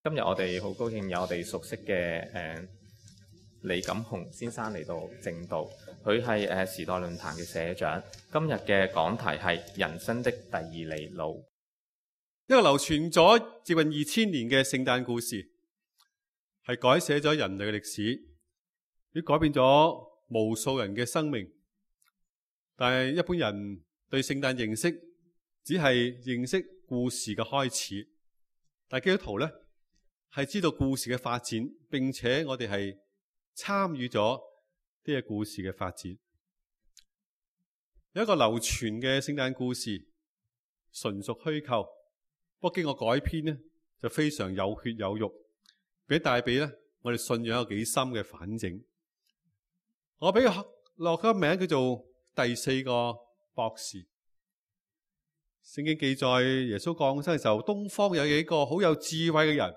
今日我哋好高興有我哋熟悉嘅李錦雄先生嚟到正道，佢係時代論壇嘅社長。今日嘅講題係人生的第二里路。一個流傳咗接近2000年嘅聖誕故事，係改寫咗人類嘅歷史，亦改變咗無數人嘅生命。但係一般人對聖誕認識只係認識故事嘅開始，但係基督徒呢，係知道故事嘅發展，並且我哋係參與咗呢個故事嘅發展。有一個流傳嘅聖誕故事，純屬虛構，不過經過改編呢，就非常有血有肉，俾帶俾呢我哋信仰有幾深嘅反省。我俾佢落個名叫做第四個博士。聖經記載耶穌降生嘅時候，東方有幾個好有智慧嘅人，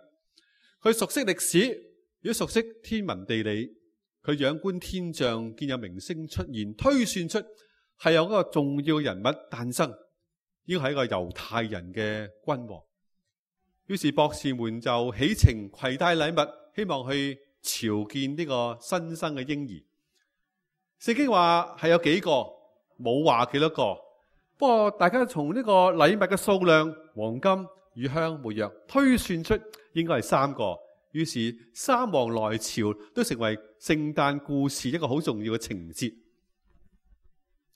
佢熟悉歷史，亦都熟悉天文地理，佢仰觀天象，見有明星出現，推算出係有一個重要人物誕生，應該係一個猶太人嘅君王。於是博士們就起程攜帶禮物，希望去朝見呢個新生嘅嬰兒。聖經話係有幾個，冇話幾多個。不過大家從呢個禮物嘅數量，黃金、乳香、沒藥，推算出應該係3個。於是三王來朝都成為聖誕故事一個好重要嘅情節。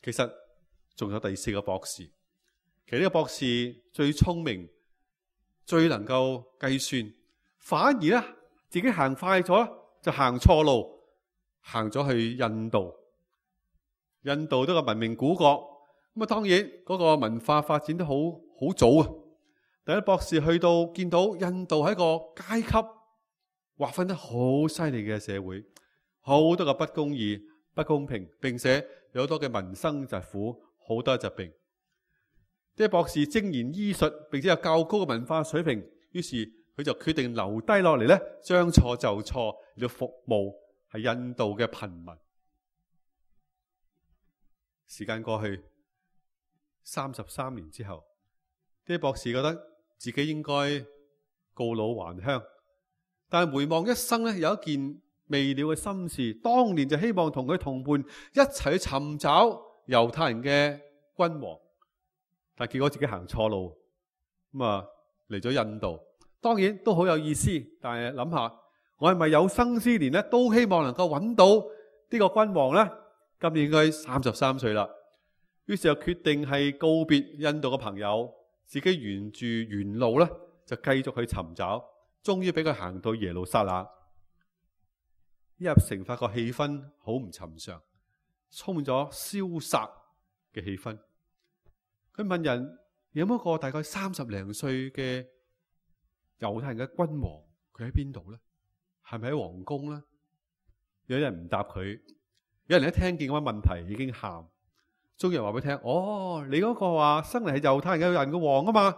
其實仲有第4個博士。其實呢個博士最聰明，最能夠計算，反而咧自己行快咗，就行錯路，行咗去印度。印度都係文明古國。咁啊，當然嗰個文化發展都好早啊。第一博士去到見到印度係一個階級劃分得好犀利嘅社會，好多嘅不公義、不公平，並且有好多嘅民生疾苦，好多疾病。啲博士精研醫術，並且有較高嘅文化水平，於是佢就決定留低落嚟咧，將錯就錯，要服務係印度嘅貧民。時間過去33年之後，啲博士覺得自己應該告老還鄉，但係回望一生咧，有一件未了嘅心事，當年就希望同佢同伴一齊去尋找猶太人嘅君王，但係結果自己行錯路，咁啊嚟咗印度。當然都好有意思，但係諗下，我係咪有生之年咧都希望能夠揾到呢個君王呢？今年應該33歲啦。於是就決定係告別印度嘅朋友，自己沿住原路咧就繼續去尋找，終於俾佢行到耶路撒冷。一入城發覺氣氛好唔尋常，充滿咗蕭殺嘅氣氛。佢問人有冇一個大概30零歲嘅猶太人嘅君王，佢喺邊度呢？係咪喺皇宮呢？有人唔答佢，有人一聽見咁嘅問題已經喊。終於話俾佢聽，哦，你嗰個話生嚟係猶太人嘅王啊嘛，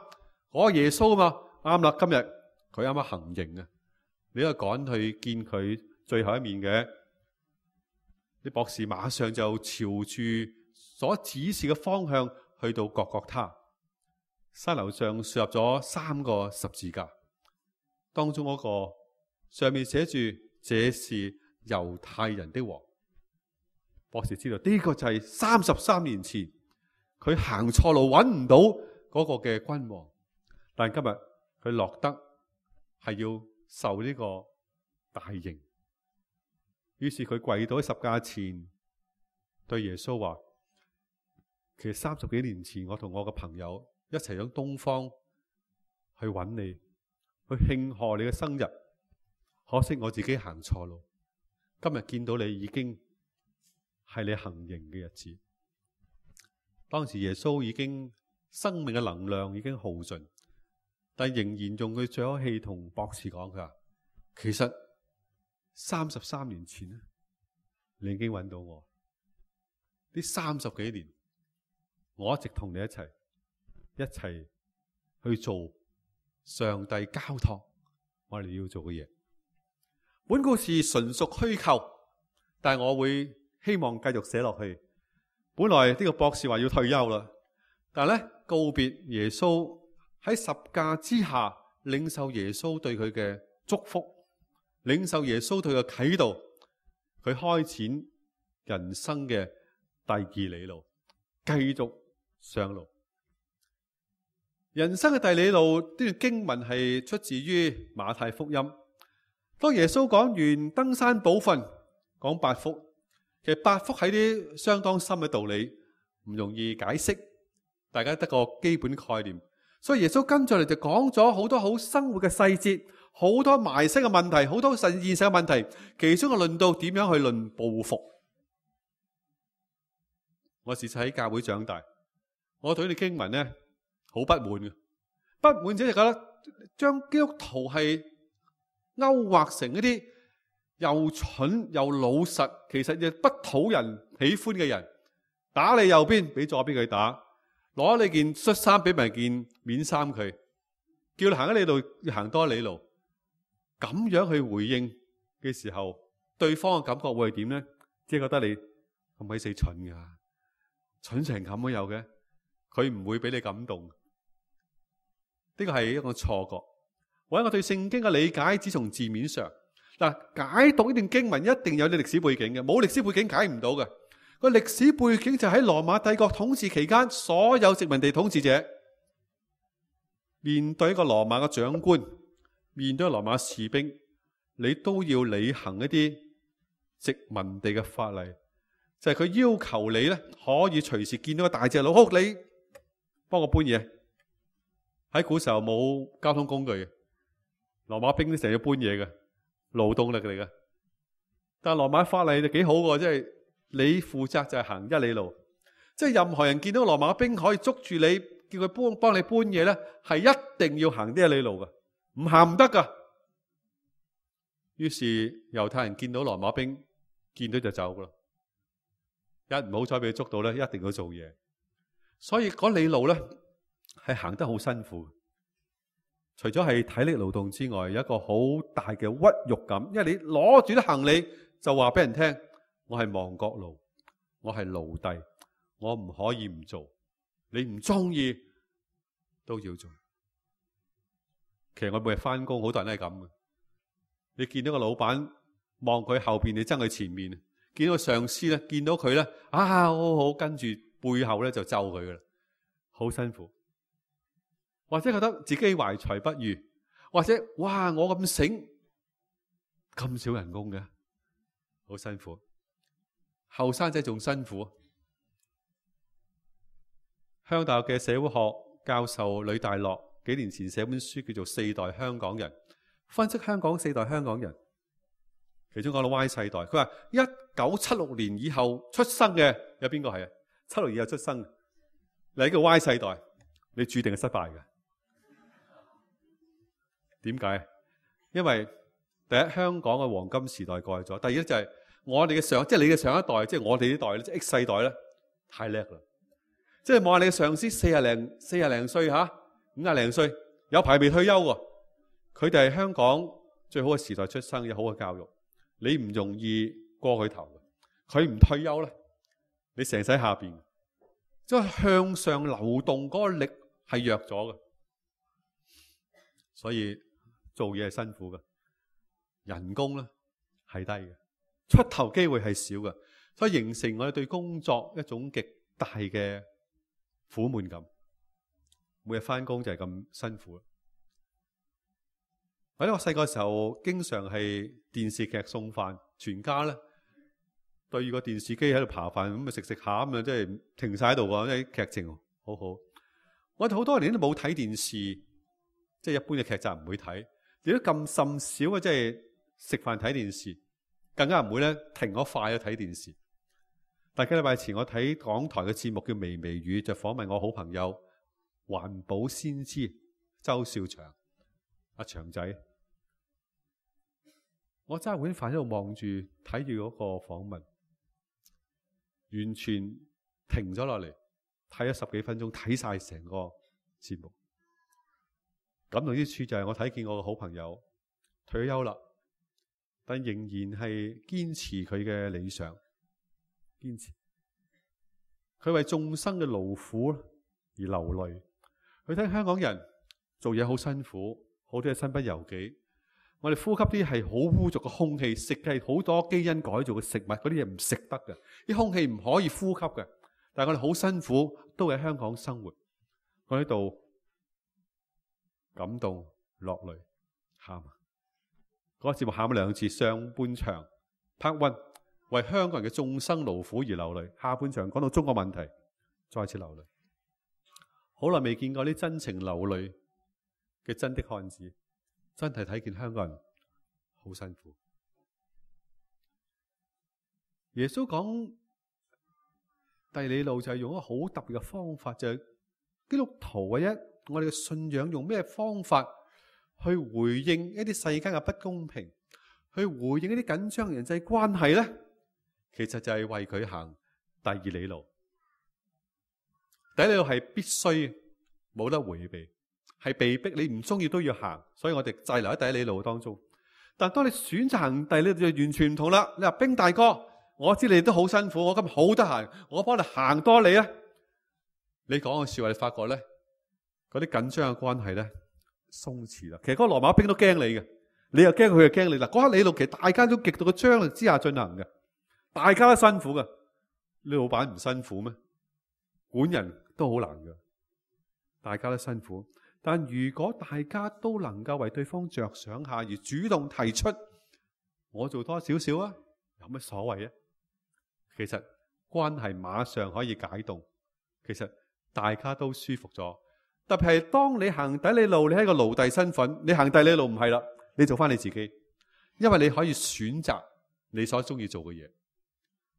嗰個耶穌啊嘛，啱啦，今日佢啱啱行刑啊，你都趕去見佢最後一面嘅。啲博士馬上就朝住所指示嘅方向去到各各他山樓上，豎立咗3個十字架，當中嗰個上面寫住這是猶太人的王。博士知道呢個就係33年前佢行錯路揾唔到嗰個嘅君王，但係今日佢落得係要受呢個大刑。於是佢跪到喺十架前，對耶穌話：其實30幾年前我同我嘅朋友一齊響東方去揾你，去慶賀你嘅生日，可惜我自己行錯路。今日見到你已經係你行刑嘅日子。當時耶穌已經生命嘅能量已經耗盡，但仍然用佢最後氣同博士講，佢話其實33年前咧，你已經揾到我。呢30幾年，我一直同你一齊去做上帝交託我哋要做嘅嘢。本故事純屬虛構，但係我會希望繼續寫落去。本來呢個博士話要退休啦，但係咧告別耶穌喺十架之下領受耶穌對佢嘅祝福，領受耶穌對佢嘅啟導，佢開展人生嘅第二里路，繼續上路。人生嘅第二里路呢段經文係出自於馬太福音。當耶穌講完登山寶訓，講八福，其實八福係啲相當深嘅道理，唔容易解釋，大家得個基本概念。所以耶穌跟住嚟就講咗好多好生活嘅細節，好多埋身嘅問題，好多現實嘅問題，其中嘅論到點樣去論報復。我自細喺教會長大，我對呢啲經文呢好不滿嘅，不滿者就覺得將基督徒係勾畫成一啲又蠢又老實，其實亦不討人喜歡嘅人，打你右邊俾左邊佢打，攞你件恤衫俾埋件面衫佢，叫你行一里路要行多一里路，咁樣去回應嘅時候，對方嘅感覺會係點呢？即係覺得你咁鬼死蠢噶，蠢成咁都有嘅，佢唔會俾你感動。呢個係一個錯覺，或者我對聖經嘅理解只從字面上。嗱，解讀呢段經文一定有啲歷史背景嘅，冇歷史背景解唔到嘅。個歷史背景就喺羅馬帝國統治期間，所有殖民地統治者面對一個羅馬嘅長官，面對羅馬士兵，你都要履行一啲殖民地嘅法例，就係佢要求你咧可以隨時見到個大隻佬，好，你幫我搬嘢。喺古時候冇交通工具嘅，羅馬兵都成日要搬嘢嘅，勞動力嚟嘅。但係羅馬法例就幾好嘅，即係你負責就係行一里路，即係任何人見到羅馬兵可以捉住你，叫佢幫你搬嘢咧，係一定要行呢一里路嘅，唔行唔得噶。於是猶太人見到羅馬兵，見到就走噶啦，一唔好彩俾佢捉到咧，一定要做嘢。所以嗰里路咧係行得好辛苦，除咗係體力勞動之外，有一個好大嘅屈辱感，因為你攞住啲行李就話俾人聽，我係亡國奴，我係奴隸，我唔可以唔做，你唔中意都要做。其實我每日翻工，好多人都係咁嘅。你見到個老闆望佢後邊，你憎佢前面；見到個上司咧，見到佢咧，好好，跟住背後咧就咒佢噶啦，好辛苦。或者覺得自己懷才不遇，或者哇我咁醒，咁少人工嘅，好辛苦。後生仔仲辛苦。香港大學嘅社會學教授呂大樂幾年前寫本書叫做《四代香港人》，分析香港四代香港人，其中講到 Y 世代，佢話1976年以後出生嘅有邊個係啊？76年以後出生，你係個 Y 世代，你注定係失敗嘅。點解？因為第一，香港嘅黃金時代過去咗；第二咧就係我哋嘅即係你嘅上一代，即係我哋呢代咧，即係 X 世代咧，太叻啦！即係望下你嘅上司40零歲吓，50零歲，有排未退休喎。佢哋係香港最好嘅時代出生，有好嘅教育，你唔容易過佢頭嘅。佢唔退休咧，你成世下邊，即係向上流動嗰個力係弱咗嘅，所以做嘢係辛苦嘅，人工咧係低嘅，出頭機會係少嘅，所以形成我哋對工作一種極大嘅苦悶感。每日翻工就係咁辛苦。或者我細個時候經常係電視劇送飯，全家咧對住個電視機喺度扒飯，咁啊食食下咁啊，即係停晒喺度喎，啲劇情好好。我哋好多年都冇睇電視，即係一般嘅劇集唔會睇。亦都咁甚少嘅，即係食飯睇電視，更加唔會咧停咗快去睇電視。大幾禮拜前我睇港台嘅節目叫《微微語》，就訪問我好朋友環保先知周少祥阿祥仔。我揸碗飯喺度望住睇住嗰個訪問，完全停咗落嚟睇咗10幾分鐘，睇晒成個節目。感動之處就係我睇見我個好朋友退休啦，但仍然係堅持佢嘅理想，堅持佢為眾生嘅勞苦而流淚。佢睇香港人做嘢好辛苦，好多嘢身不由己。我哋呼吸啲係好污濁嘅空氣，食嘅係好多基因改造嘅食物，嗰啲嘢唔食得嘅，啲空氣唔可以呼吸嘅。但係我哋好辛苦，都喺香港生活。我喺度感動落淚，喊。嗰個節目喊咗2次，上半場 Part 1為香港人嘅眾生勞苦而流淚，下半場講到中國問題，再次流淚。好耐未見過啲真情流淚嘅真的漢子，真係睇見香港人好辛苦。耶穌講第二路就係用一個好特別嘅方法，就係基督徒唯一我哋嘅信仰用咩方法去回應一啲世間嘅不公平，去回應一啲緊張嘅人際關係呢？其實就係為佢行第二里路。第一里路係必須冇得回避，係被逼，你唔中意都要行，所以我哋滯留喺第一里路當中。但當你選擇行第二里路就完全唔同啦。你話兵大哥，我知你都好辛苦，我今日好得閒，我幫你行多你啊！你講嘅說話，你發覺咧，嗰啲緊張嘅關係咧鬆弛啦。其實嗰個羅馬兵都驚你嘅，你又驚佢又驚你。嗱，嗰刻里路其實大家都極度嘅張力之下進行嘅，大家都辛苦嘅。你老闆唔辛苦咩？管人都好難嘅，大家都辛苦。但如果大家都能夠為對方着想下，而主動提出我做多少少啊，有乜所謂啊？其實關係馬上可以解凍，其實大家都舒服咗。特別係當你行第一里路，你係一個奴隸身份，你行第二里路唔係啦，你做翻你自己，因為你可以選擇你所中意做嘅嘢，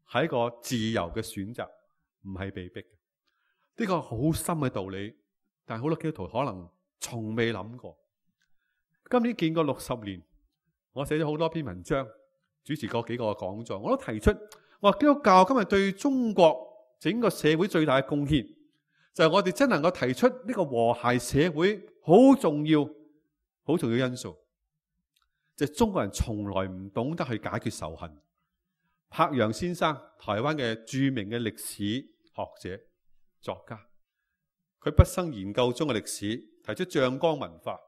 係一個自由嘅選擇，唔係被逼嘅。呢個好深嘅道理，但係好多基督徒可能從未諗過。今年見過60年，我寫咗好多篇文章，主持過幾個講座，我都提出，我話基督教今日對中國整個社會最大嘅貢獻，就係我哋真能夠提出呢個和諧社會好重要因素，就係中國人從來唔懂得去解決仇恨。柏楊先生，台灣嘅著名嘅歷史學者作家，佢畢生研究中國歷史，提出醬缸文化。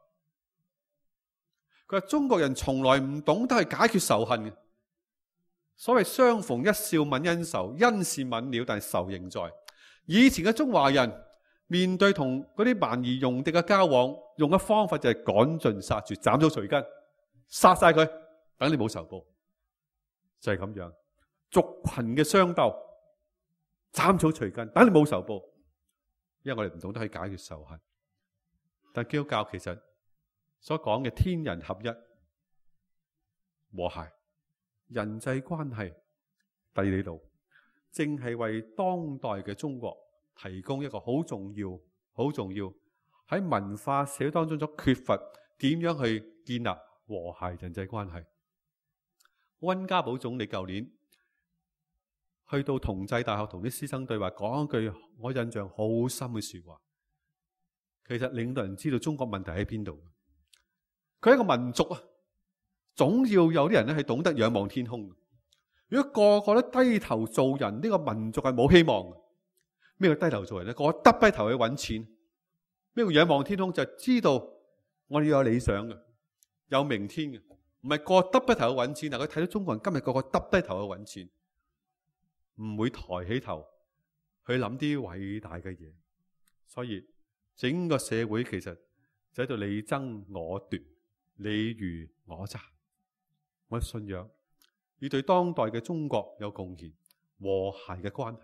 佢話中國人從來唔懂得去解決仇恨嘅。所謂相逢一笑泯恩仇，恩是泯了，但係仇仍在。以前嘅中華人面對同嗰啲蠻夷戎狄嘅交往，用嘅方法就係趕盡殺絕，斬草除根，殺晒佢，等你冇仇報，就係咁樣。族群嘅相鬥，斬草除根，等你冇仇報，因為我哋唔懂得去解決仇恨。但基督教其實所講嘅天人合一、和諧、人際關係第二里路，正係為當代嘅中國提供一個好重要喺文化社會當中所缺乏，點樣去建立和諧人際關係。溫家寶總理舊年去到同濟大學同啲師生對話，講一句我印象好深嘅說話。其實領導人知道中國問題喺邊度，佢係一個民族啊，總要有啲人咧係懂得仰望天空。如果個個都低頭做人，呢個民族係冇希望嘅。咩叫低頭做人咧？個個耷低頭去揾錢。咩叫仰望天空？就係知道我哋要有理想嘅，有明天嘅，唔係個個耷低頭去揾錢。但佢睇到中國人今日個個耷低頭去揾錢，唔會抬起頭去諗啲偉大嘅嘢。所以整個社會其實就喺度你爭我奪，你虞我詐。我嘅信仰要對當代嘅中國有貢獻，和諧嘅關係、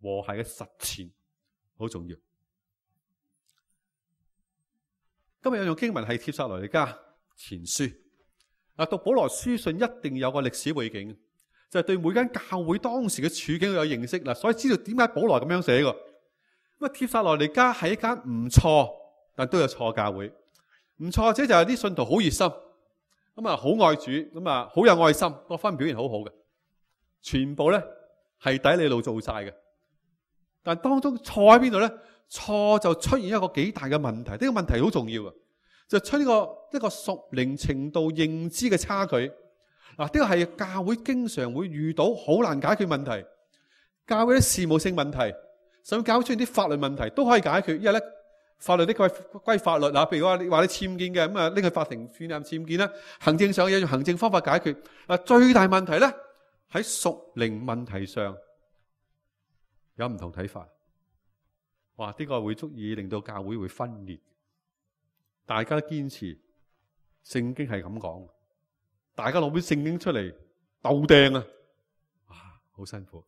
和諧嘅實踐好重要。今日有用經文係帖撒羅尼迦前書。讀保羅書信一定有個歷史背景，就係對每間教會當時嘅處境有認識啦，所以知道點解保羅咁樣寫嘅。咁帖撒羅尼迦係一間唔錯，但都有錯教會。唔錯者就係啲信徒好熱心，咁啊好愛主，咁啊好有愛心，各方面表現好好嘅，全部咧係第一里路做晒嘅。但當中錯喺邊度咧？錯就出現一個幾大嘅問題，呢個問題好重要嘅，就出呢個一個屬靈程度認知嘅差距。嗱，呢個係教會經常會遇到好難解決問題，教會啲事務性問題，甚至教會出現啲法律問題都可以解決，因為咧法律的歸法律嗱，譬如話你僭建嘅，咁啊拎去法庭判任僭建啦。行政上有用行政方法解決。嗱，最大問題咧喺屬靈問題上有唔同睇法。哇！呢個會足以令到教會會分裂。大家都堅持聖經係咁講，大家攞本聖經出嚟鬥掟啊！哇，好辛苦。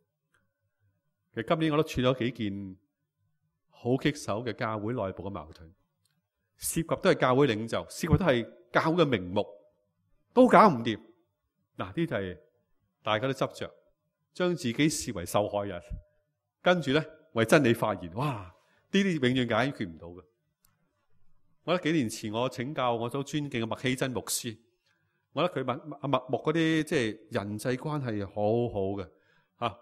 其實今年我都處咗幾件好棘手嘅教會內部嘅矛盾，涉及都係教會領袖，涉及都係教會嘅名目，都搞唔掂。嗱，呢就係大家都執着，將自己視為受害人，跟住咧為真理發言。哇！呢啲永遠解決唔到嘅。我覺得幾年前我請教我所尊敬嘅麥希真牧師，我覺得佢麥牧嗰啲即係人際關係好好嘅，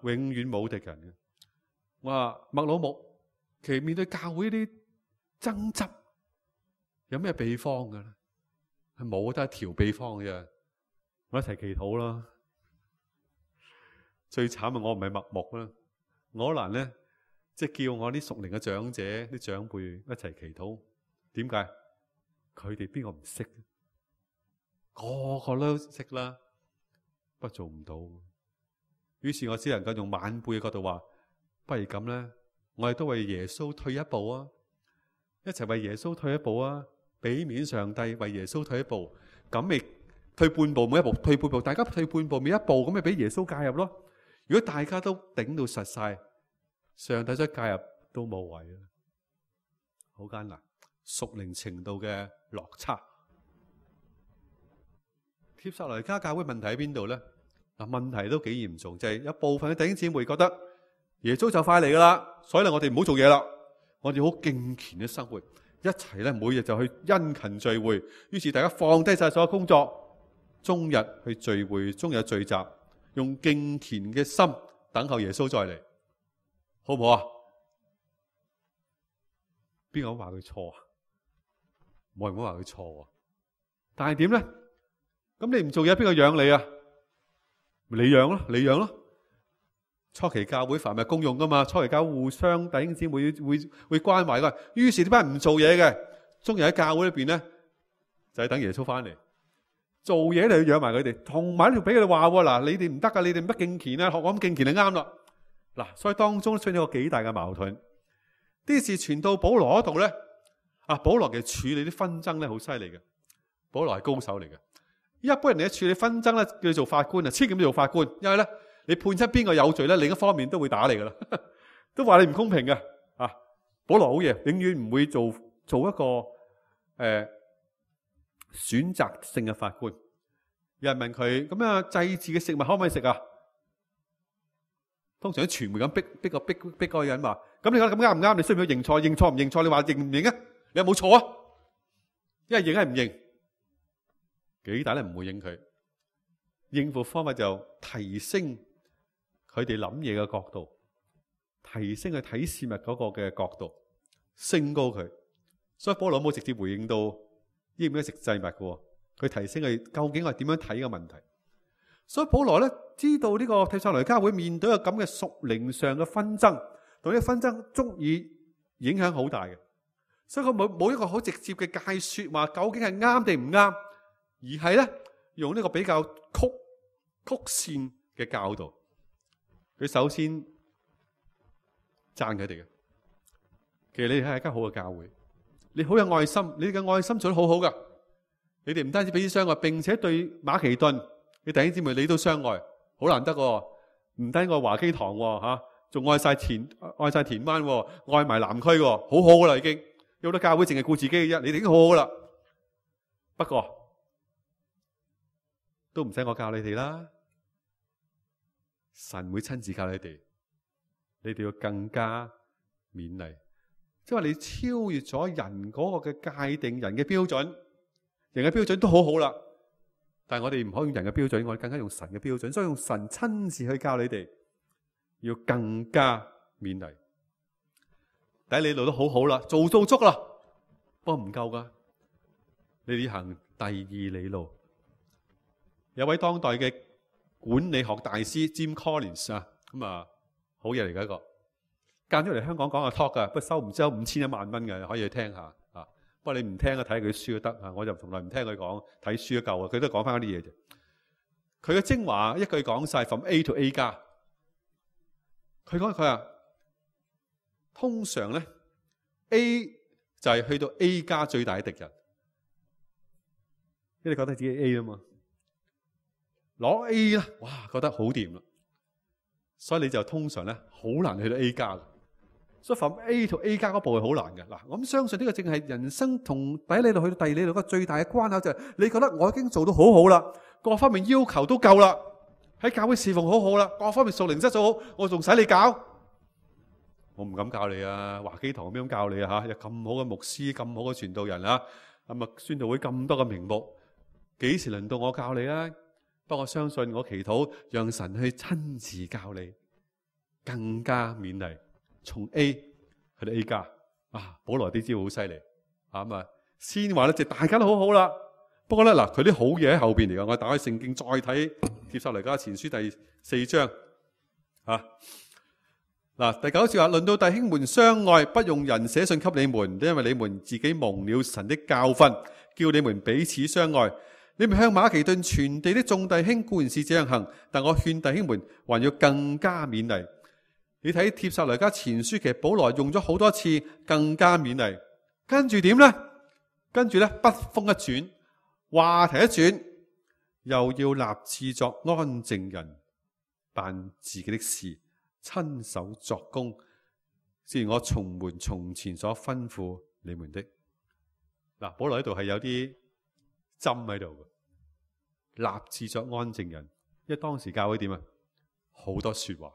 永遠冇敵人嘅。我話麥老牧，其實面對教會呢啲爭執，有咩秘方嘅咧？係冇，得一條秘方嘅啫。我一齊祈禱啦。最慘係我唔係麥牧啦，我可能咧即係叫我啲屬靈嘅長者、啲長輩一齊祈禱。點解？佢哋邊個唔識？個個都識啦，不過做唔到。於是我只能夠用晚輩嘅角度話，不如咁咧，我哋都為耶穌退一步啊！一齊為耶穌退一步啊！俾面上帝為耶穌退一步，咁咪退半步，每一步退半步，大家退半步，每一步咁咪俾耶穌介入咯。如果大家都頂到實晒，上帝再介入都冇謂啦，好艱難。屬靈程度嘅落差。帖撒羅尼迦教會問題喺邊度咧？嗱，問題都幾嚴重，就係有部分嘅弟兄姊妹覺得耶穌就快嚟噶啦，所以咧我哋唔好做嘢啦，我哋好敬虔嘅生活，一齊咧每日就去殷勤聚會，於是大家放低晒所有工作，終日去聚會，終日聚集，用敬虔嘅心等候耶穌再嚟，好唔好啊？邊個話佢錯啊？冇人會話佢錯，但係點咧？咁你唔做嘢，邊個養你啊？你養咯，你養咯。初期教會凡係公用噶嘛，初期教會互相弟兄姊妹會關懷噶。於是呢班人唔做嘢嘅，終日喺教會裏邊咧，就係等耶穌翻嚟做嘢嚟，要養埋佢哋，同埋要俾佢哋話嗱，你哋唔得噶，你哋唔得敬虔啊，學我咁敬虔就啱啦。嗱，所以當中出現一個幾大嘅矛盾。啲事傳到保羅嗰度咧。保羅嘅處理啲紛爭咧好犀利嘅，保羅係高手嚟嘅。一般人嚟處理紛爭咧，叫做法官啊，千祈唔好做法官，因為咧你判出邊個有罪咧，另一方面都會打你噶啦，都話你唔公平嘅。保羅好嘢，永遠唔會做一個選擇性嘅法官。有人問佢咁啊，祭祀嘅食物可唔可以食啊？通常啲傳媒咁逼嗰個人話，咁你覺得咁啱唔啱？你需唔需要認錯？認錯唔認錯？你話認唔認啊？你有冇錯啊？一係認係唔認，幾大咧唔會應佢。應付方法就提升佢哋諗嘢嘅角度，提升佢睇事物嗰個嘅角度，升高佢。所以保羅冇直接回應到應唔應該食祭物嘅，佢提升佢究竟係點樣睇嘅問題。所以保羅咧知道呢個帖撒羅尼迦會面對一個咁嘅屬靈上嘅紛爭，同呢個紛爭足以影響好大嘅。所以佢冇一個好直接嘅解說話，究竟係啱定唔啱，而係咧用呢個比較曲線嘅教導。佢首先讚佢哋嘅，其實你哋係一間好嘅教會，你好有愛心，你哋嘅愛心做得好好噶。你哋唔單止彼此相愛，並且對馬其頓你弟兄姊妹你都相愛，好難得喎。唔單愛華基堂吓，仲愛晒田灣，愛埋南區，好好噶啦已經。有好多教會淨係顧自己嘅啫，你哋已經好好噶啦。不過都唔使我教你哋啦，神會親自教你哋，你哋要更加勉勵。即係話你超越咗人嗰個嘅界定，人嘅標準，人嘅標準都好好啦。但係我哋唔可以用人嘅標準，我哋更加用神嘅標準，所以用神親自去教你哋，要更加勉勵。第一里路都好好啦，做到足啦，不過唔夠噶，你哋行第二里路。有位當代嘅管理學大師 Jim Collins 好嘢嚟嘅一個，間咗嚟香港講下 talk 噶，不過收唔知有5000-10000嘅，可以去聽下啊。不過你唔聽啊，睇佢書都得啊。我就從來唔聽佢講，睇書都夠啊。佢都講翻嗰啲嘢啫。佢嘅精華一句講晒 from A to A 加。佢話通常咧 A 就係去到 A 加最大嘅敵人，因為你覺得自己 A 啊嘛，攞 A 啦，哇，覺得好掂啦，所以你就通常咧好難去到 A 加。所以 from A to A 加嗰步係好難嘅。嗱，我咁相信呢個正係人生同第一理路去到第二理路個最大嘅關口，就係你覺得我已經做到好好啦，各方面要求都夠啦，喺教會侍奉好好啦，各方面屬靈質素好，我仲使你教？我唔敢教你啊！華基堂咁樣教你啊嚇，有咁好嘅牧師，咁好嘅傳道人啊，咁啊宣道會咁多嘅名目，幾時輪到我教你啊？不過我相信我祈禱，讓神去親自教你，更加勉勵，從 A 去到 A 加啊！保羅啲招好犀利啊！咁啊，先話咧就大家都好好啦。不過咧嗱，佢啲好嘢喺後邊嚟㗎。我打開聖經再睇帖撒羅尼迦前書第4章啊。嗱，第9節話，論到弟兄們相愛，不用人寫信給你們，因為你們自己蒙了神的教訓，叫你們彼此相愛。你們向馬其頓全地的眾弟兄固然是這樣行，但我勸弟兄們還要更加勉勵。你睇帖撒羅尼迦前書，其實保羅用咗好多次更加勉勵，跟住點呢？跟住咧筆鋒一轉，話題一轉，又要立志作安靜人，辦自己的事，親手作工，正如我從前所吩咐你們的。嗱，保羅喺度係有啲針喺度嘅，立志作安靜人。因為當時教會點啊？好多說話，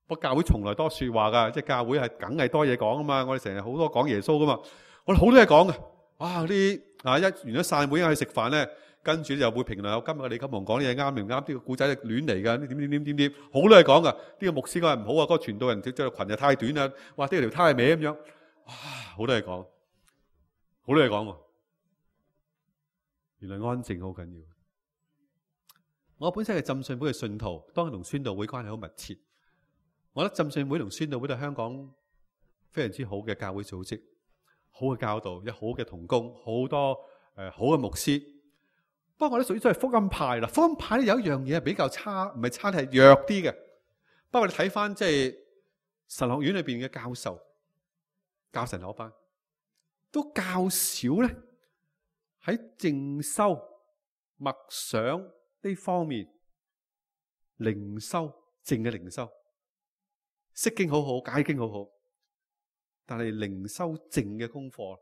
不過教會從來多說話噶，即係教會係梗係多嘢講啊嘛。我哋成日好多講耶穌噶嘛，我哋好多嘢講嘅。哇！啲啊一完咗散會，去食飯咧，跟住就會評論有今日嘅李金紅講啲嘢啱定唔啱？呢個故仔係亂嚟噶，點，好多嘢講噶。呢個牧師講係唔好啊，嗰個傳道人着裙又太短啦，哇！呢條呔係歪咁樣，哇！好多嘢講，好多嘢講喎。原來安靜好緊要。我本身係浸信會嘅信徒，當然同宣道會關係好密切。我覺得浸信會同宣道會都係香港非常之好嘅教會組織，好嘅教導，有好嘅同工，好多好嘅牧師。不過我哋屬於都係福音派啦。福音派有一樣嘢係比較差，唔係差，係弱啲嘅。不過你睇翻即係神學院裏邊嘅教授教神學班，都較少咧喺靜修默想呢方面靈修，靜嘅靈修，釋經好好，解經好好，但係靈修靜嘅功課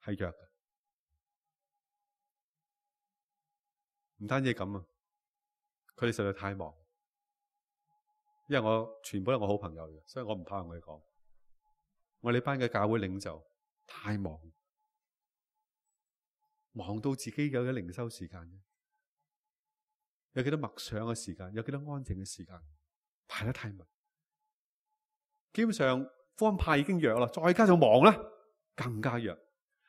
係弱嘅。唔單止咁啊，佢哋實在太忙，因為我全部都係我好朋友嘅，所以我唔怕同佢哋講。我哋班嘅教會領袖太忙，忙到自己有咗靈修時間，有幾多默想嘅時間，有幾多安靜嘅時間，排得太密。基本上福音派已經弱啦，再加上忙咧，更加弱。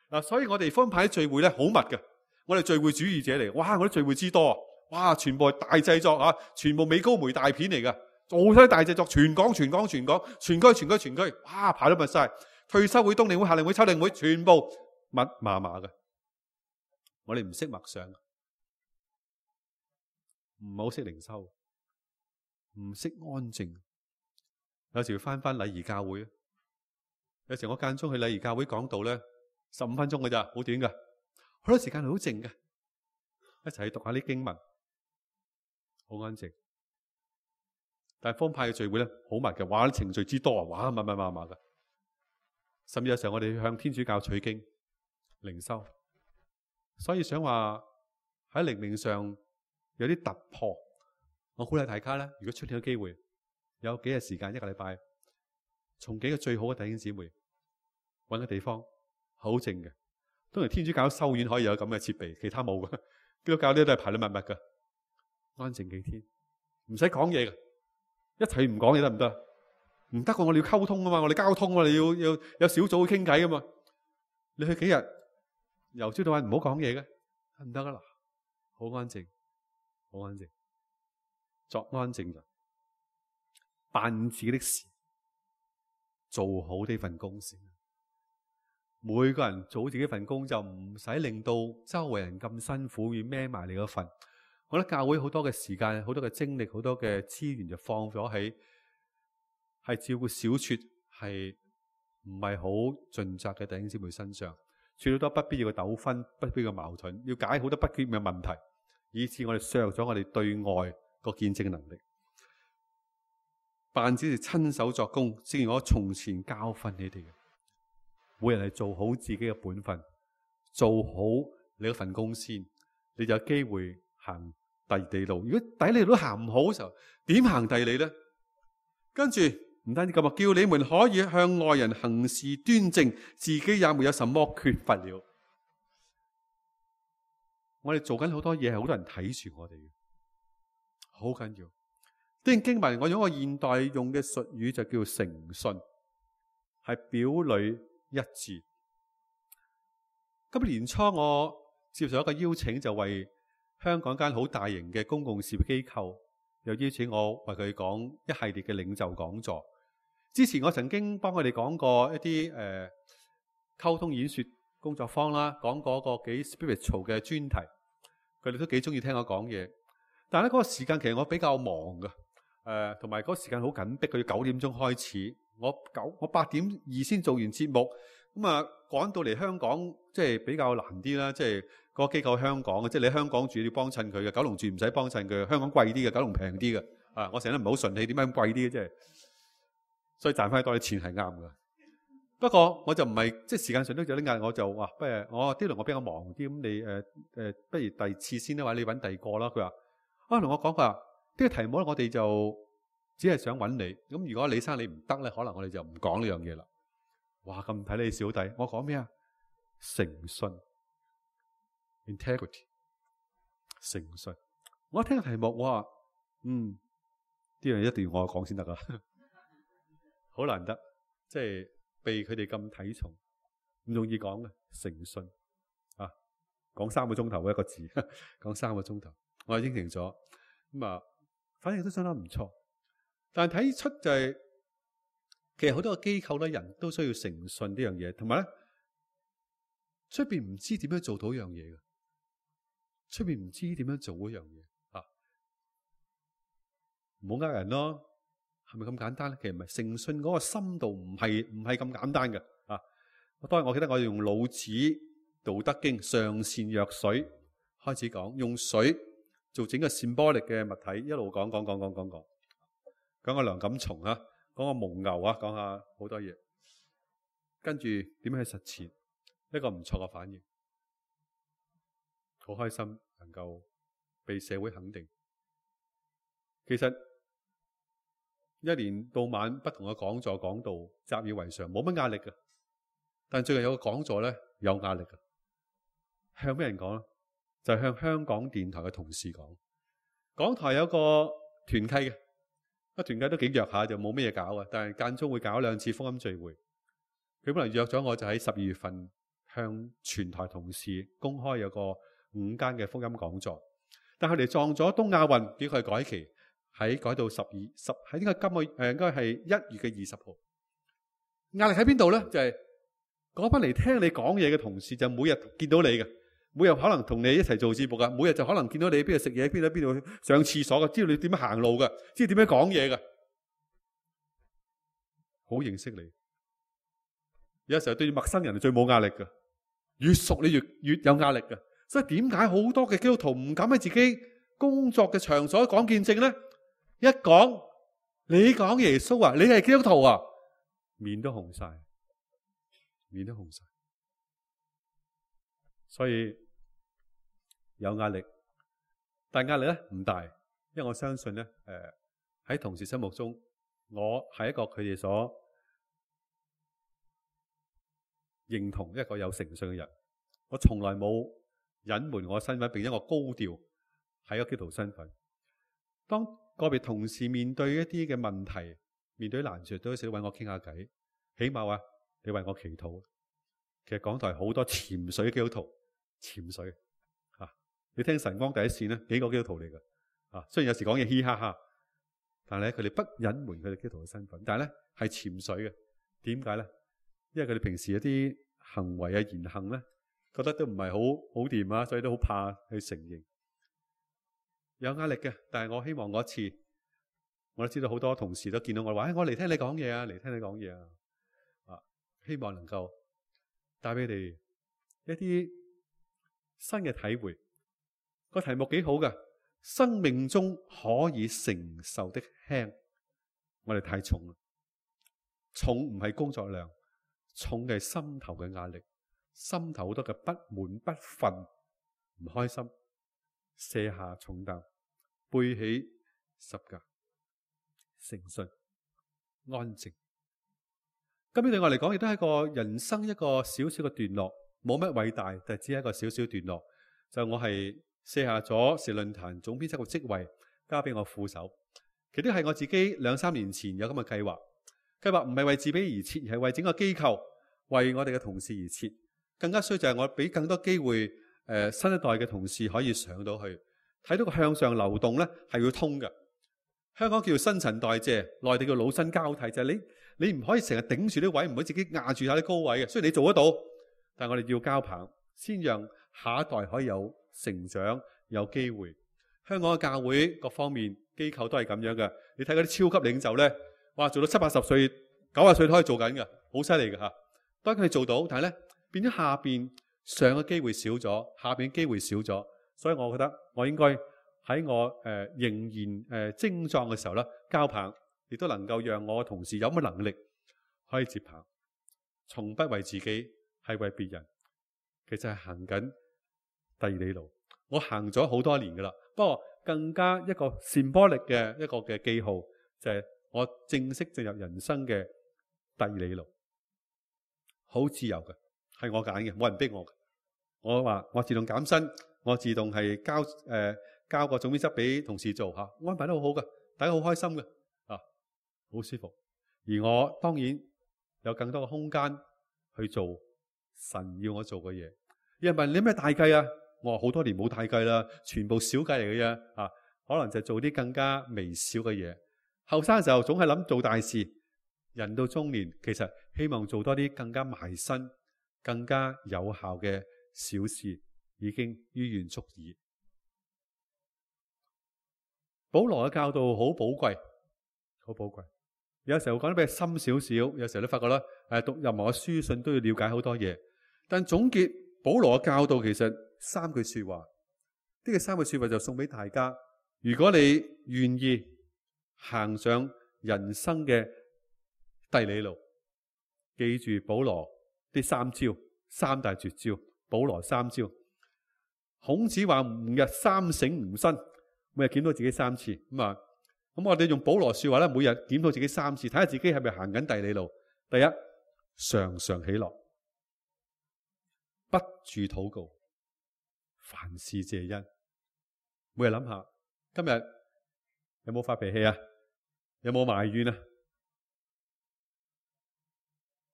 嗱，所以我哋福音派聚會咧好密嘅。我哋聚會主義者嚟，哇！我啲聚會之多，哇！全部係大製作啊，全部美高梅大片嚟噶，做晒大製作，全港，全區，哇！排到密晒，退休會、冬令會、夏令會、秋令會，全部密麻麻嘅。我哋唔識默想，唔好識靈修，唔識安靜。有時要翻禮儀教會，有時我間中去禮儀教會講道咧，15分鐘嘅咋，好短噶。好多時間係好靜嘅，一齊去讀下啲經文，好安靜。但係福音派嘅聚會咧，好密嘅，哇！啲程序之多啊，哇！密嘅。甚至有時候我哋向天主教取經、靈修，所以想話喺靈命上有啲突破。我鼓勵大家咧，如果出現嘅機會，有幾日時間，一個禮拜，從幾個最好嘅弟兄姊妹搵個地方，好靜嘅。當然天主教修院可以有咁嘅設備，其他冇嘅。基督教呢都係排得密密嘅，安靜幾天，唔使講嘢嘅，一齊唔講嘢得唔得？唔得嘅，我哋要溝通啊嘛，我哋交通啊，你要有小組去傾偈啊嘛。你去幾日由朝到晚唔好講嘢嘅，得唔得啊？嗱，好安靜，好安靜，作安靜人，辦自己的事，做好呢份工先。每個人做好自己份工，就唔使令到周圍人咁辛苦，要孭埋你嗰份。我覺得教會好多嘅時間、好多嘅精力、好多嘅資源就放咗喺係照顧小撮係唔係好盡責嘅弟兄姊妹身上，處理多不必要嘅糾紛、不必要嘅矛盾，要解好多不必要嘅問題，以致我哋削弱咗我哋對外個見證嘅能力。辦只是親手作工，正如我從前教訓你哋嘅。每人係做好自己嘅本分，做好你嗰份工先，你就有機會行第二里路。如果第一里路都行唔好嘅時候，點行第二里呢？跟住唔單止咁啊，叫你們可以向外人行事端正，自己也沒有什麼缺乏了。我哋做緊好多嘢，係好多人睇住我哋嘅，好緊要。呢段經文我用一個現代用嘅術語就叫誠信，係表裏一致。今年年初我接受一個邀請，就為香港間好大型嘅公共事業機構又邀請我為佢講一系列嘅領袖講座。之前我曾經幫佢哋講過一啲溝通演說工作坊啦，講過一個幾 spiritual 嘅專題，佢哋都幾中意聽我講嘢。但係咧，嗰個時間其實我比較忙㗎，同埋嗰個時間好緊迫，佢要9點鐘開始。我8點2先做完節目，咁啊趕到嚟香港，即係比較難啲啦。即係嗰個機構香港嘅，即係你喺香港住要幫襯佢嘅，九龍住唔使幫襯佢。香港貴啲嘅，九龍平啲嘅。我成日都唔係好順氣，點解咁貴啲嘅？即係所以賺翻多啲錢係啱㗎。不過我就唔係即係時間上都有啲壓力，我就話不如我呢輪我比較忙啲，咁你不如第二次先啦，或者你揾第二個啦。佢話同我講佢話呢個題目咧，我哋就只係想揾你，咁如果李生你唔得咧，可能我哋就唔講呢樣嘢啦。哇，咁睇你小弟，我講咩啊？誠信 ，integrity， 誠信。我一聽個題目，我話呢樣一定要我講先得噶，好難得，即係被佢哋咁睇重，唔容易講嘅誠信啊，講3個鐘頭一個字，講3個鐘頭，我應承咗，咁啊，反正都相當唔錯。但係睇出就係，其實好多個機構咧，人都需要誠信呢樣嘢，同埋咧，出邊唔知點樣做到一樣嘢嘅，出邊唔知點樣做嗰樣嘢啊，唔好呃人咯，係咪咁簡單咧？其實唔係，誠信嗰個深度唔係咁簡單嘅啊。當然我記得我用老子《道德經》上善若水開始講，用水做整個 symbolic 嘅物體，一路講個梁錦松啊，講個蒙牛啊，講下好多嘢，跟住點樣去實踐，一個唔錯嘅反應，好開心能夠被社會肯定。其實一年到晚不同嘅講座講道習以為常，冇乜壓力嘅。但最近有個講座咧有壓力嘅，向咩人講咧？就係向香港電台嘅同事講。港台有個團契嘅。團契都幾弱下，就冇咩嘢搞啊！但係間中會搞2次福音聚會。佢本來約咗我，就喺12月份向全台同事公開有個5間嘅福音講座。但係佢哋撞咗東亞運，叫佢改期，改到喺應該應該係1月嘅20號。壓力喺邊度咧？就係嗰班嚟聽你講嘢嘅同事，就每日見到你嘅，每日可能同你一齊做節目噶，每日就可能見到你邊度食嘢，邊度上廁所噶，知道你點樣行路噶，知道點樣講嘢噶，好認識你。有時候對陌生人係最冇壓力噶，越熟你越有壓力噶。所以點解好多嘅基督徒唔敢喺自己工作嘅場所講見證咧？一講你講耶穌啊，你係基督徒啊，面都紅晒，面都紅晒。所以有壓力，但壓力咧唔大，因為我相信咧，喺同事心目中，我係一個佢哋所認同一個有誠信嘅人。我從來冇隱瞞我身份，並且我高調喺個基督徒身份。當個別同事面對一啲嘅問題，面對難處，都有時揾我傾下偈，起碼話你為我祈禱。其實港台好多潛水基督徒。潛水你聽晨光第一線咧，幾個基督徒嚟㗎雖然有時講嘢嘻哈哈，但係咧佢哋不隱瞞佢哋基督徒嘅身份，但係咧係潛水嘅，點解咧？因為佢哋平時一啲行為啊、言行咧，覺得都唔係好掂啊，所以都好怕去承認，有壓力嘅。但係我希望嗰一次，我都知道好多同事都見到我話，我嚟聽你講嘢啊，嚟聽你講嘢啊，希望能夠帶俾你哋一啲新嘅體會。個題目幾好㗎，生命中可以承受的輕，我哋太重啦。重唔係工作量，重嘅係心頭嘅壓力，心頭好多嘅不滿、不忿、唔開心，卸下重擔，背起十架，誠信、安靜。今日對我嚟講，亦都係一個人生一個小小嘅段落，冇乜偉大，但係只係一個小小段落。就我係卸下咗時論壇總編輯嘅職位，交俾我副手。其實都係我自己2-3年前有咁嘅計劃。計劃唔係為自己而設，而係為整個機構、為我哋嘅同事而設。更加需要就係我俾更多機會新一代嘅同事可以上到去，睇到個向上流動咧係要通嘅。香港叫新陳代謝，內地叫老新交替，就係你唔可以成日頂住啲位，唔可以自己壓住下啲高位嘅。雖然你做得到，但係我哋要交棒，先讓下一代可以有成長、有機會。香港嘅教會各方面機構都係咁樣嘅。你睇嗰啲超級領袖咧，哇，做到70-80歲、90歲都可以做緊嘅，好犀利嘅嚇。當然佢哋做到，但係咧變咗下邊上嘅機會少咗，下邊機會少咗，所以我覺得我應該喺我仍然精壯嘅時候咧，交棒，亦都能夠讓我嘅同事有乜能力可以接棒，從不為自己，係為別人。其實係行緊第二里路，我行咗好多年噶啦。不過更加一個 symbolic 嘅一個嘅記號，就係我正式進入人生嘅第二里路，好自由嘅，係我揀嘅，冇人逼我嘅。我話我自動減薪，我自動係交個總編輯俾同事做嚇，安排得好好嘅，大家好開心嘅啊，好舒服。而我當然有更多嘅空間去做神要我做嘅嘢。有人問你咩大計啊？我話好多年冇大計啦，全部小計嚟嘅啫啊！可能就做啲更加微小嘅嘢。後生嘅時候總係諗做大事，人到中年其實希望做多啲更加埋身、更加有效嘅小事，已經於願足矣。保羅嘅教導好寶貴，好寶貴。有時候講得比較深少少，有時候都發覺啦，讀任何嘅書信都要了解好多嘢。但總結保羅嘅教導其實3句說話，呢個3句說話就送俾大家。如果你願意行上人生嘅第二里路，記住保羅啲3招，3大絕招。保羅3招。孔子話吾日三省吾身，每日檢討自己3次。咁我哋用保羅說話咧，每日檢討自己3次，睇下自己係咪行緊第二里路。第一，常常喜樂，不住禱告，凡事謝恩。每日諗下，今日有冇發脾氣啊？有冇埋怨啊？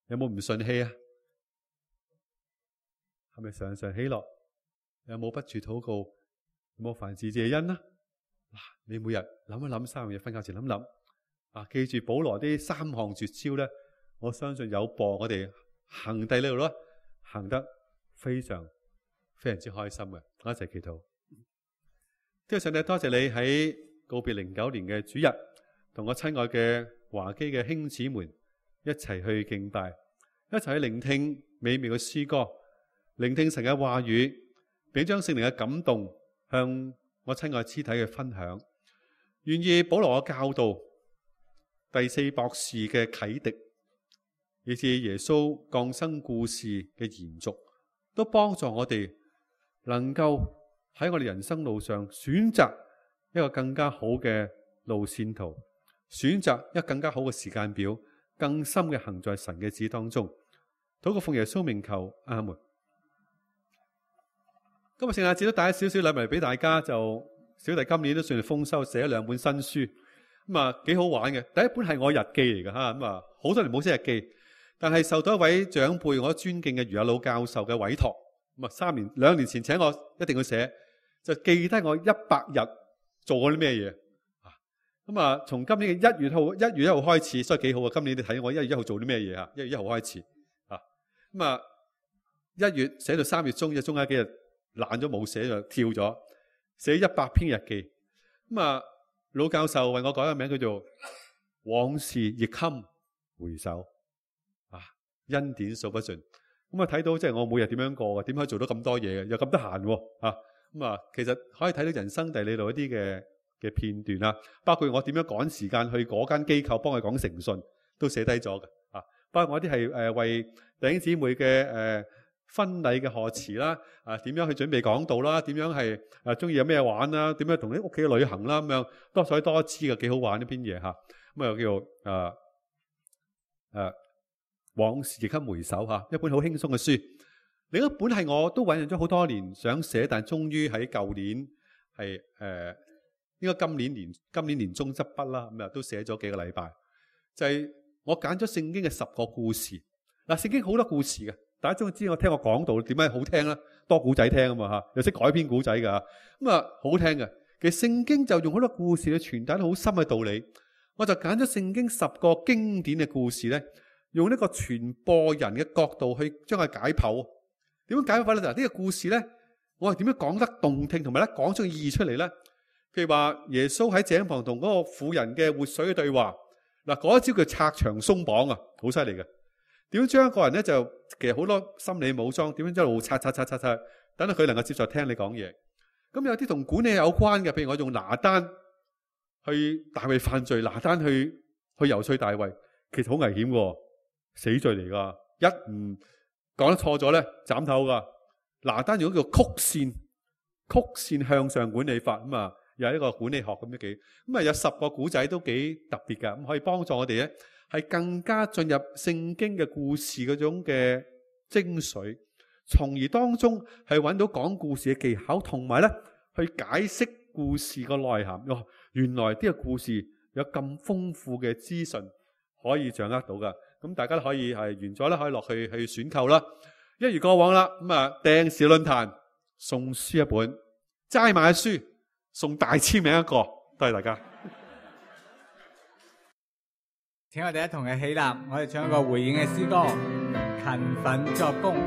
有冇唔順氣啊？係咪常常喜樂？有冇不住禱告？有冇凡事謝恩啊？你每日諗一諗3樣嘢，瞓覺前諗諗。記住保羅啲3項絕招咧，我相信有助我哋行第二里路咯，行得非常非常之開心嘅。我一齊祈禱。天父上帝，多謝你喺告別09年嘅主日，同我親愛嘅華基嘅兄姊們一齊去敬拜，一齊去聆聽美妙嘅詩歌，聆聽神嘅話語，並將聖靈嘅感動向我親愛肢體嘅分享。願意保羅嘅教導，第4博士嘅啟迪，以至耶穌降生故事嘅延續，都幫助我哋能夠喺我哋人生路上選擇一個更加好嘅路線圖，選擇一個更加好嘅時間表，更深嘅行在神嘅旨當中。禱告奉耶穌名求，阿門。今日聖誕節都帶咗少少禮物嚟俾大家，就小弟今年都算係豐收，寫咗2本新書，幾好玩嘅。第一本係我日記嚟嘅吓，好多年冇寫日記，但係受到一位長輩我尊敬嘅余阿魯教授嘅委託，2年前請我一定要寫，就記低我100日做過啲咩嘢。咁啊，從今年嘅1月1號開始，所以幾好啊！今年你睇我1月1號做啲咩嘢啊？1月1號開始啊，咁啊1月寫到3月中，中間幾日懶咗冇寫就跳咗，寫100篇日記。咁啊，老教授為我改個名叫做往事亦堪回首啊，恩典數不盡。咁啊睇到即係我每日點樣過嘅，點可以做到咁多嘢嘅，又咁得閒喎啊！咁啊，其實可以睇到人生地理度一啲嘅片段啦，包括我點樣趕時間去嗰間機構幫佢講誠信，都寫低咗嘅啊。包括我啲係為弟兄姊妹嘅婚禮嘅賀詞啦，點樣去準備講道啦，點樣係中意有咩玩啦，點樣同啲屋企旅行啦，咁樣多彩多姿嘅，幾好玩呢篇嘢嚇。咁啊又叫往事亦堪回首嚇，一本好輕鬆嘅書。另一本係我都醞釀咗好多年想寫，但終於喺舊年係應該今年年中執筆啦，咁啊都寫咗幾個禮拜。就係我揀咗聖經嘅10個故事。嗱，聖經好多故事嘅，大家終於知我聽我講道點解好聽啦，多古仔聽啊嘛嚇，又識改編古仔㗎，咁啊好聽嘅。其實聖經就用好多故事去傳達好深嘅道理。我就揀咗聖經10個經典嘅故事咧，用呢個傳播人嘅角度去將佢解剖。點樣解剖法咧？嗱，呢個故事咧，我係點樣講得動聽，同埋咧講出個意義出嚟咧？譬如話耶穌喺井旁同嗰個婦人嘅活水嘅對話，嗱，嗰一招叫拆牆鬆綁啊，好犀利嘅。點樣將一個人咧就其實好多心理武裝，點樣一路拆，等到佢能夠接受聽你講嘢。咁有啲同管理有關嘅，譬如我用拿單去大衛犯罪，拿單去遊說大衛，其實好危險嘅，死罪嚟噶，一唔講得錯咗咧，斬頭噶。拿單用一個叫曲線向上管理法，咁啊，又係一個管理學咁樣幾，咁啊有10個古仔都幾特別噶，咁可以幫助我哋咧，係更加進入聖經嘅故事嗰種嘅精髓，從而當中係揾到講故事嘅技巧，同埋咧去解釋故事個內涵。原來呢個故事有咁豐富嘅資訊可以掌握到噶。咁大家都可以係完咗啦，可以落去選購啦。一如過往啦，咁啊訂時論壇送書一本，齋買書送大簽名一個，多謝大家。請我哋一同嘅起立，我哋唱一個回應嘅詩歌，勤奮作工。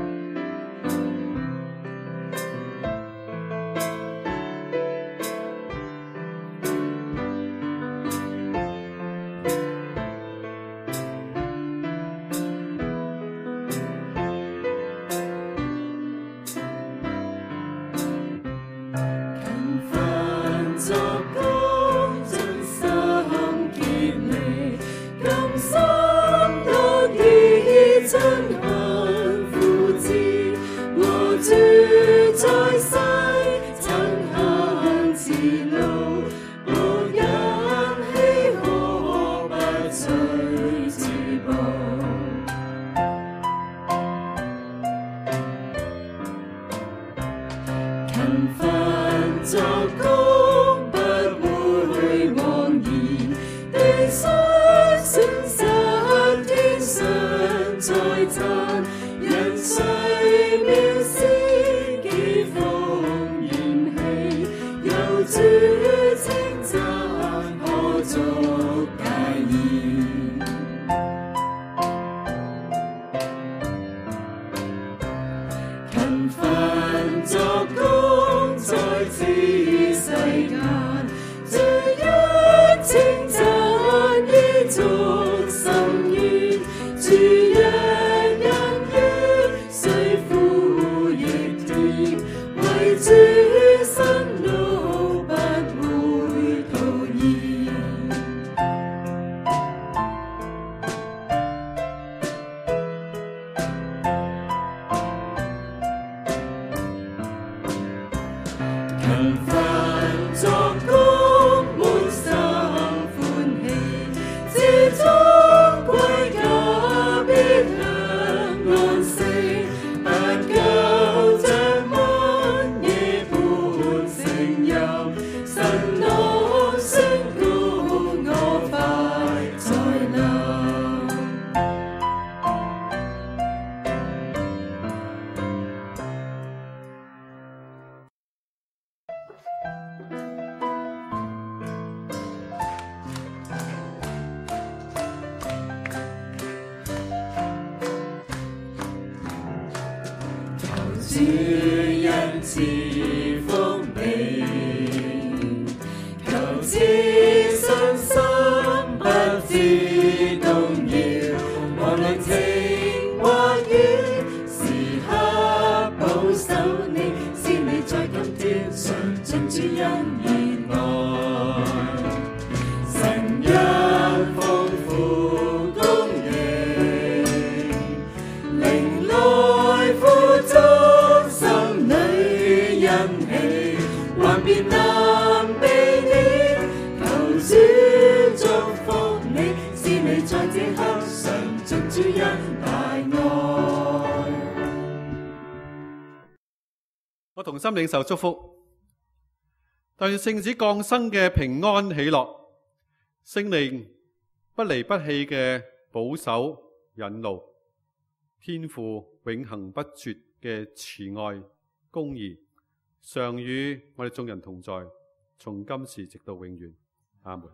主恩賜福你，求此信心不知動搖，無論晴或雨，時刻保守你，使你在今天常盡主恩熱愛。神因豐富供應，靈來富足，心裏欣喜，還別能避免，求主祝福你，使你在這刻常盡主恩大愛。我同心領受祝福，但願聖子降生嘅平安喜樂，聖靈不離不棄嘅保守引路，天父永恆不絕嘅慈愛公義，常與我哋眾人同在，從今時直到永遠。阿門。